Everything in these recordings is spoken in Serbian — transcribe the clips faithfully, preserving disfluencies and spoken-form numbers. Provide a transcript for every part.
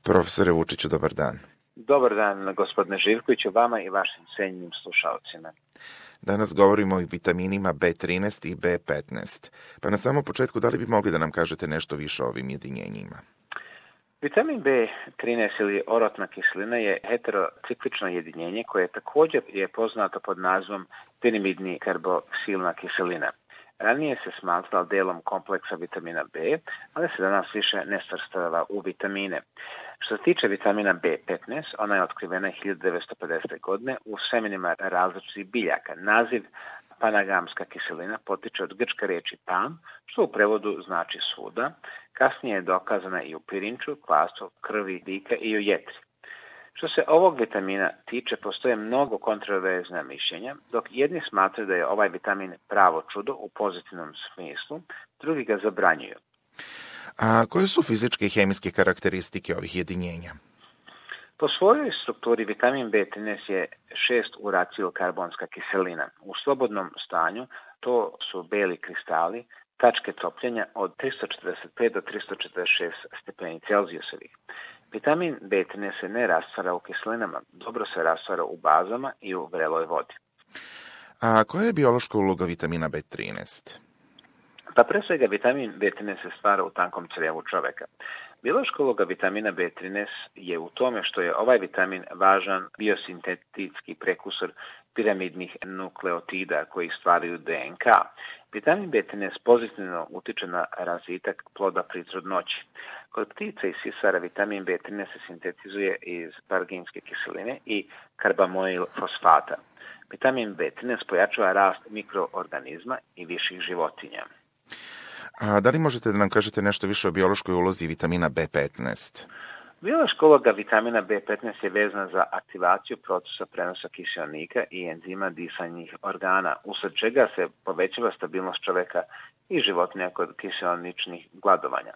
Profesore Vučiću, dobar dan. Dobar dan, gospodine Živkoviću, vama i vašim cenjenim slušalcima. Danas govorimo o vitaminima B trinaest i B petnaest. Pa na samom početku, da li bi mogli da nam kažete nešto više o ovim jedinjenjima? Vitamin B trinaest ili orotna kiselina je heterociklično jedinjenje koje također je poznato pod nazivom pirimidni karboksilna kiselina. Ranije se smatrala delom kompleksa vitamina B, ali se danas više ne svrstava u vitamine. Što se tiče vitamina B petnaest, ona je otkrivena hiljadu devetsto pedesete. godine u semenima različitih biljaka. Naziv panagamska kiselina potiče od grčke riječi pan, što u prevodu znači svuda. Kasnije je dokazana i u pirinču, kvasu, krvi, bika i u jetri. Što se ovog vitamina tiče, postoje mnogo kontroverzna mišljenja, dok jedni smatraju da je ovaj vitamin pravo čudo u pozitivnom smislu, drugi ga zabranjuju. A koje su fizičke i hemijske karakteristike ovih jedinjenja? Po svojoj strukturi vitamin B trinaest je šest uracilkarbonska kiselina. U slobodnom stanju to su beli kristali, tačke topljenja od tristo četrdeset pet do tristo četrdeset šest stepeni Celzijusovih. Vitamin B trinaest se ne rastvara u kiselinama, dobro se rastvara u bazama i u vreloj vodi. A koja je biološka uloga vitamina B trinaest? Pa pre svega vitamin B trinaest se stvara u tankom crijevu čoveka. Biološka uloga vitamina B trinaest je u tome što je ovaj vitamin važan biosintetski prekursor piramidnih nukleotida koji stvaraju D N K. Vitamin B trinaest pozitivno utiče na razvitak ploda pri trudnoći. Kod ptica i sisara vitamin B trinaest se sintetizuje iz parginske kiseline i karbamojil fosfata. Vitamin B trinaest pojačava rast mikroorganizma i viših životinja. A da li možete da nam kažete nešto više o biološkoj ulozi vitamina B petnaest? Biološka uloga vitamina B petnaest je vezana za aktivaciju procesa prenosa kiseonika i enzima disanjih organa, usled čega se povećava stabilnost čoveka i životinja kod kiseoničnih gladovanja.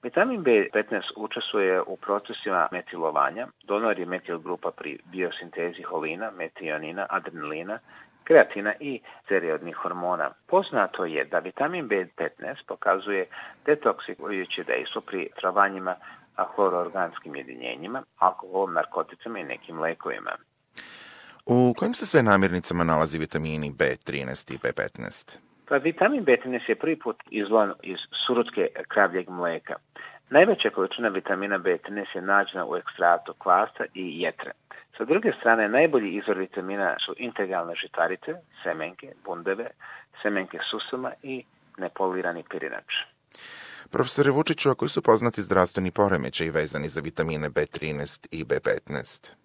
Vitamin B petnaest učestvuje u procesima metilovanja, donor je metil grupa pri biosintezi holina, metionina, adrenalina, kreatina i steroidnih hormona. Poznato je da vitamin B petnaest pokazuje detoksikujuće dejstvo pri travanjima hloroorganskim jedinjenjima, alkoholom, narkoticama i nekim lekovima. U kojim se sve namirnicama nalazi vitamini B trinaest i B petnaest? Pa vitamin B trinaest je prvi put izvojen iz surutke kravljeg mleka. Najveća količina vitamina B trinaest je nađena u ekstraktu kvasa i jetre. Sa druge strane, najbolji izvor vitamina su integralne žitarice, semenke, bundeve, semenke susama i nepolirani pirinač. Profesore Vučiću, a koji su poznati zdravstveni poremećaji vezani za vitamine B trinaest i B petnaest?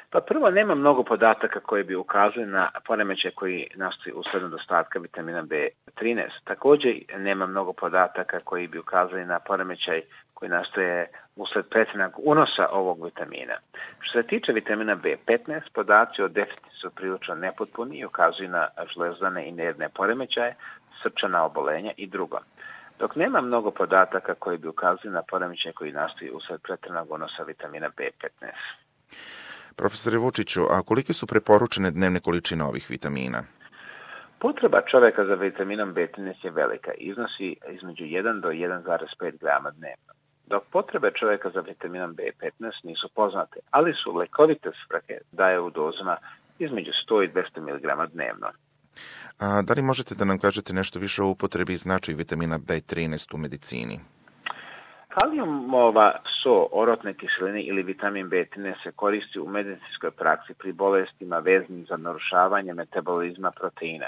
Pa prvo, nema mnogo podataka koji bi ukazali na poremećaje koji nastaju usled nedostatka vitamina B trinaest. Također nema mnogo podataka koji bi ukazali na poremećaj koji nastaje usled pretjeranog unosa ovog vitamina. Što se tiče vitamina B petnaest, podaci o deficitu su prilično nepotpuni i ukazuju na žlezdane i nervne poremećaje, srčana obolenja i drugo. Dok nema mnogo podataka koji bi ukazali na poremećaje koji nastaju usled pretjeranog unosa vitamina B petnaest. Profesore Vučiću, a kolike su preporučene dnevne količine ovih vitamina? Potreba čoveka za vitaminom B trinaest je velika, iznosi između jedan do jedan zarez pet grama dnevno. Dok potrebe čoveka za vitaminom B petnaest nisu poznate, ali su lekovite svrhe daje u dozama između sto i dvesta miligrama dnevno. A da li možete da nam kažete nešto više o upotrebi i značaju vitamina B trinaest u medicini? Kalijumova so, orotne kiseline ili vitamin B trinaest se koristi u medicinskoj praksi pri bolestima vezanim za narušavanje metabolizma proteina,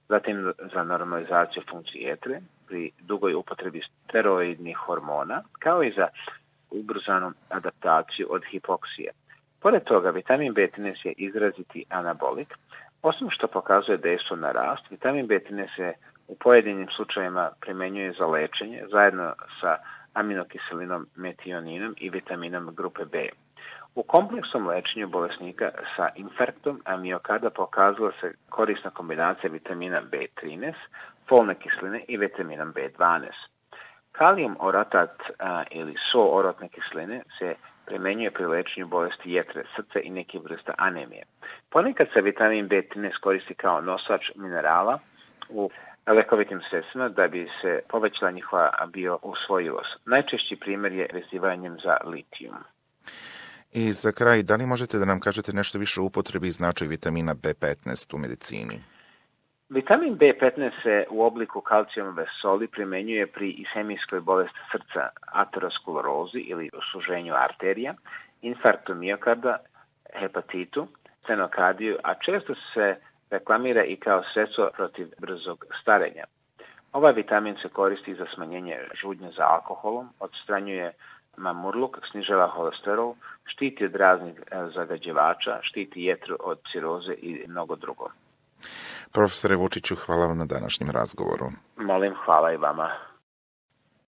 zatim za normalizaciju funkcije jetre, pri dugoj upotrebi steroidnih hormona, kao i za ubrzanu adaptaciju od hipoksije. Pored toga, vitamin B trinaest je izraziti anabolik. Osim što pokazuje dejstvo na rast, vitamin B trinaest se u pojedinim slučajevima primenjuje za lečenje zajedno sa aminokiselinom metioninom i vitaminom grupe B. U kompleksnom lečenju bolesnika sa infarktom amiokarda pokazala se korisna kombinacija vitamina B trinaest, folne kiseline i vitaminom B dvanaest. Kalijum oratat a, ili so orotne kiseline se primenjuje pri lečenju bolesti jetre, srca i neke vrsta anemije. Ponekad se vitamin B trinaest koristi kao nosač minerala u lekovitim sredstvima da bi se povećala njihova biousvojivost. Najčešći primjer je vezivanjem za litijum. I za kraj, da li možete da nam kažete nešto više o upotrebi i značaju vitamina B petnaest u medicini? Vitamin B petnaest se u obliku kalcijumove soli primenjuje pri ishemijskoj bolesti srca, aterosklerozi ili osuženju arterija, infarktu miokarda, hepatitu, stenokardiju, a često se reklamira i kao sredstvo protiv brzog starenja. Ovaj vitamin se koristi za smanjenje žudnje za alkoholom, odstranjuje mamurluk, snižava holesterol, štiti od raznih zagađivača, štiti jetru od ciroze i mnogo drugo. Profesore Vučiću, hvala vam na današnjem razgovoru. Molim, hvala i vama.